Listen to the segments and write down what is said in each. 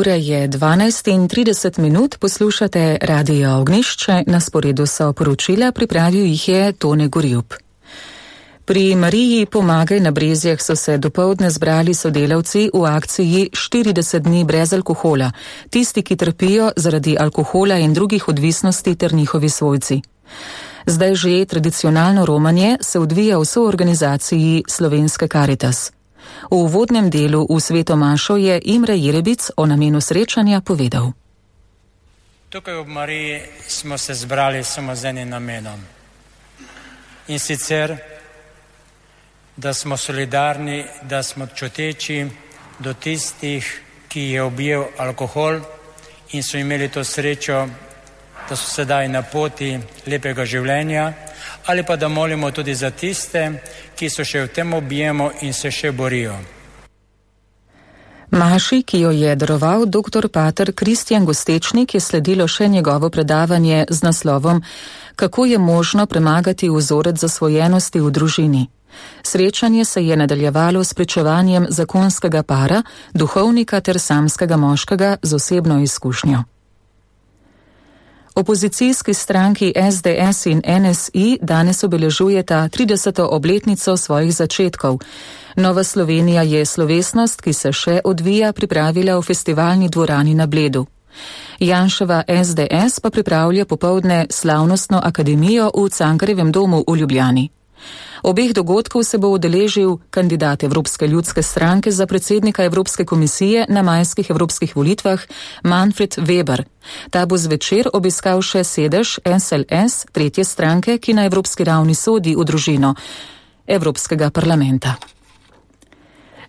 Ura je 12:30, poslušate Radio Ognjišče, na sporedu so poročila, pripravil jih je Tone Gorjup. Pri Mariji Pomagaj na Brezjah so se dopoldne zbrali sodelavci v akciji 40 dni brez alkohola, tisti, ki trpijo zaradi alkohola in drugih odvisnosti ter njihovi svojci. Zdaj že tradicionalno romanje se odvija v soorganizaciji Slovenske Karitas. V uvodnem delu v Sveto mašo je Imre Jerebic o namenu srečanja povedal. Tukaj v Mariji smo se zbrali samo z enim namenom. In sicer, da smo solidarni, da smo čuteči do tistih, ki je objel alkohol in so imeli to srečo, da so sedaj na poti lepega življenja, ali pa da molimo tudi za tiste, ki so še v tem objemu in se še borijo. Maši, ki jo je daroval dr. pater Kristjan Gostečnik, je sledilo še njegovo predavanje z naslovom Kako je možno premagati vzorec zasvojenosti v družini. Srečanje se je nadaljevalo s pričevanjem zakonskega para, duhovnika ter samskega moškega z osebno izkušnjo. Opozicijski stranki SDS in NSI danes obeležujeta 30. obletnico svojih začetkov. Nova Slovenija je slovesnost, ki se še odvija, pripravila v festivalni dvorani na Bledu. Janševa SDS pa pripravlja popoldne slavnostno akademijo v Cankarjevem domu v Ljubljani. Obeh dogodkov se bo udeležil kandidat Evropske ljudske stranke za predsednika Evropske komisije na majskih evropskih volitvah Manfred Weber. Ta bo zvečer obiskal še sedež SLS, tretje stranke, ki na evropski ravni sodi v družino Evropskega parlamenta.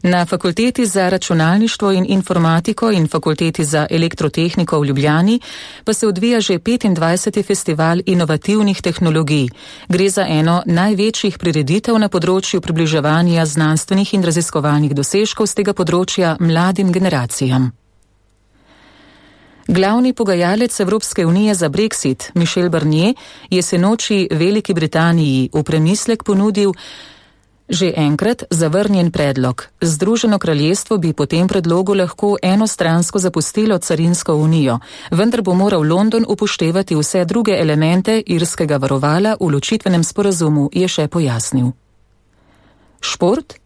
Na Fakulteti za računalništvo in informatiko in Fakulteti za elektrotehniko v Ljubljani pa se odvija že 25. festival inovativnih tehnologij. Gre za eno največjih prireditev na področju približevanja znanstvenih in raziskovalnih dosežkov z tega področja mladim generacijam. Glavni pogajalec Evropske unije za Brexit, Michel Barnier, je sinoči Veliki Britaniji v premislek ponudil že enkrat zavrnjen predlog. Združeno kraljestvo bi po tem predlogu lahko enostransko zapustilo carinsko unijo, vendar bo moral London upoštevati vse druge elemente irskega varovala v ločitvenem sporazumu, je še pojasnil. Šport?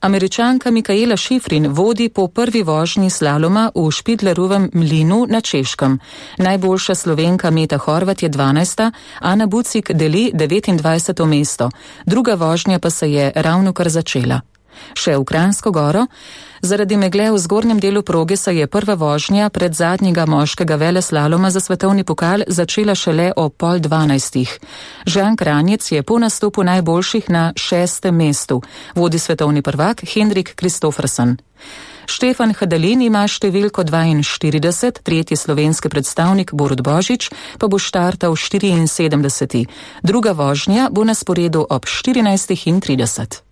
Američanka Mikaela Šifrin vodi po prvi vožnji slaloma v Špidlerovem mlinu na Češkem. Najboljša Slovenka Meta Horvat je 12., Ana Bucik deli 29. mesto. Druga vožnja pa se je ravnokar začela. Še v Kranjsko Goro. Zaradi megle v zgornjem delu proge se je prva vožnja pred zadnjega moškega veleslaloma za svetovni pokal začela šele o 11:30. Žan Kranjec je po nastopu najboljših na 6. mestu. Vodi svetovni prvak Henrik Kristoffersen. Štefan Hadalin ima številko 42, tretji slovenski predstavnik Borut Božič pa bo štartal 74. Druga vožnja bo na sporedu ob 14:30.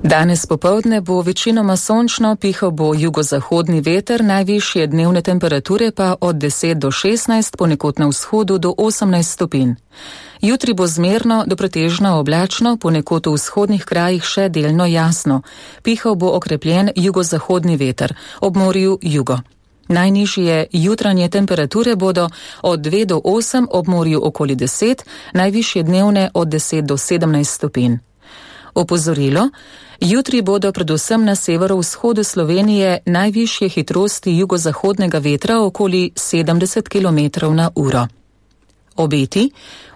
Danes popoldne bo večinoma sončno, pihal bo jugozahodni veter, najvišje dnevne temperature pa od 10 do 16, ponekod na vzhodu do 18 stopinj. Jutri bo zmerno do pretežno oblačno, ponekod v vzhodnih krajih še delno jasno. Pihal bo okrepljen jugozahodni veter, ob morju jugo. Najnižje jutranje temperature bodo od 2 do 8, ob morju okoli 10, najvišje dnevne od 10 do 17 stopinj. Opozorilo, jutri bodo predvsem na severovzhodu Slovenije najvišje hitrosti jugozahodnega vetra okoli 70 km/h. Obeti,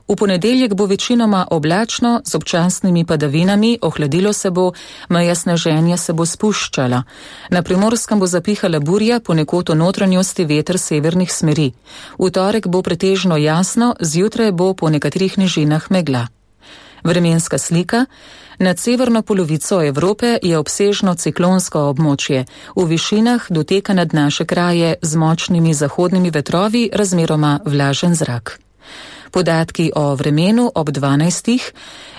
v ponedeljek bo večinoma oblačno z občasnimi padavinami, ohladilo se bo, meja sneženja se bo spuščala. Na Primorskem bo zapihala burja, ponekod v notranjosti veter severnih smeri. V torek bo pretežno jasno, zjutraj bo po nekaterih nižinah megla. Vremenska slika. Nad severno polovico Evrope je obsežno ciklonsko območje. V višinah doteka nad naše kraje z močnimi zahodnimi vetrovi razmeroma vlažen zrak. Podatki o vremenu ob 12.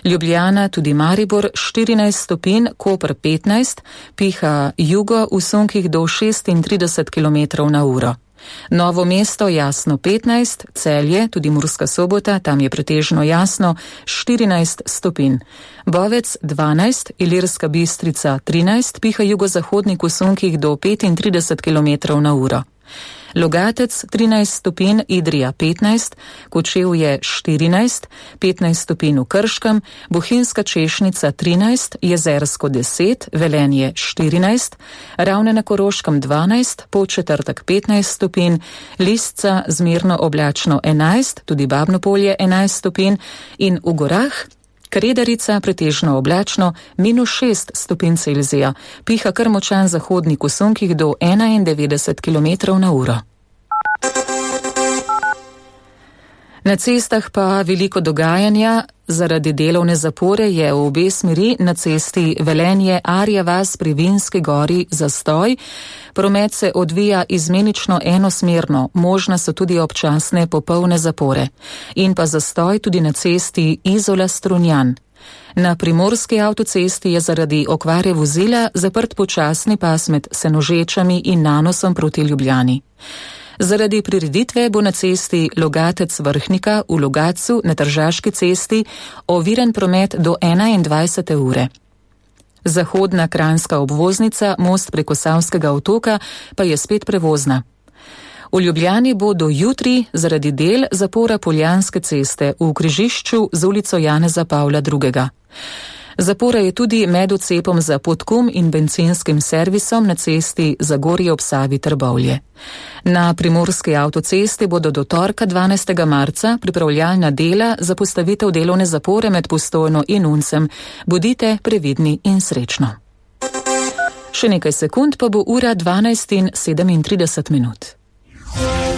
Ljubljana, tudi Maribor 14 stopinj, Koper 15, piha jugo v sunkih do 36 km/h. Novo mesto jasno 15, Celje, tudi Murska Sobota, tam je pretežno jasno 14 stopinj. Bovec 12, Ilirska Bistrica 13, piha jugozahodnik v sunkih do 35 km/h. Logatec 13 stopinj, Idrija 15, Kočevje 14, 15 stopinj v Krškem, Bohinjska Češnica 13, Jezersko 10, Velenje 14, Ravne na Koroškem 12, Podčetrtek 15 stopinj, Lisca zmerno oblačno 11, tudi Babnopolje 11 stopinj in v gorah Kredarica pretežno oblačno -6 stopinj Celzija, piha kar močan zahodnik v sunkih do 91 km/h. Na cestah pa veliko dogajanja. Zaradi delovne zapore je v obe smeri na cesti Velenje-Arja vas pri Vinski gori zastoj. Promet se odvija izmenično enosmerno, možne so tudi občasne popolne zapore. In pa zastoj tudi na cesti Izola-Strunjan. Na primorski avtocesti je zaradi okvare vozila zaprt počasni pas med Senožečami in Nanosom proti Ljubljani. Zaradi prireditve bo na cesti Logatec-Vrhnika v Logatcu na Tržaški cesti oviren promet do 21. ure. Zahodna kranjska obvoznica, most preko Savskega otoka, pa je spet prevozna. V Ljubljani bo do jutri zaradi del zapora Poljanske ceste v križišču z ulico Janeza Pavla II. Zapora je tudi med odcepom za Podkum in bencinskim servisom na cesti Zagorje ob Savi Trbovlje. Na primorski avtocesti bodo do torka 12. marca pripravljalna dela za postavitev delovne zapore med Postojno in Uncem. Bodite previdni in srečno. Še nekaj sekund pa bo ura 12:37.